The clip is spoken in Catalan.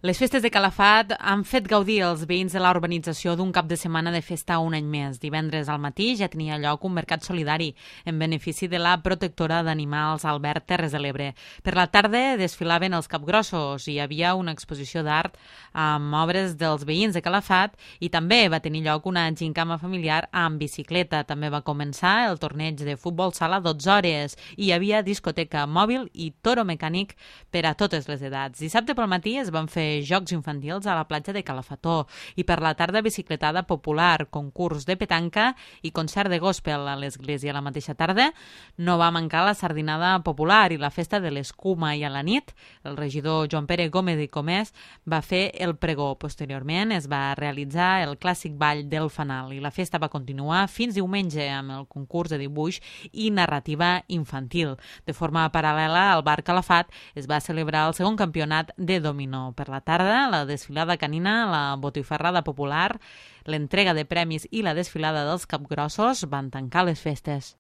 Les festes de Calafat han fet gaudir els veïns de la urbanització d'un cap de setmana de festa un any més. Divendres al matí ja tenia lloc un mercat solidari en benefici de la protectora d'animals Albert Terres de l'Ebre. Per la tarda desfilaven els capgrossos i hi havia una exposició d'art amb obres dels veïns de Calafat i també va tenir lloc una gincama familiar amb bicicleta. També va començar el torneig de futbol sala a 12 hores i hi havia discoteca mòbil i toro mecànic per a totes les edats. Dissabte pel matí es van fer jocs infantils a la platja de Calafató i per la tarda bicicletada popular, concurs de petanca i concert de gospel a l'església. A la mateixa tarda no va mancar la sardinada popular i la festa de l'escuma i a la nit el regidor Joan Pere Gómez i Comès va fer el pregó. Posteriorment es va realitzar el clàssic ball del fanal i la festa va continuar fins diumenge amb el concurs de dibuix i narrativa infantil. De forma paral·lela al bar Calafat es va celebrar el segon campionat de dominó. Per la tarda, la desfilada canina, la botifarrada popular, l'entrega de premis i la desfilada dels capgrossos van tancar les festes.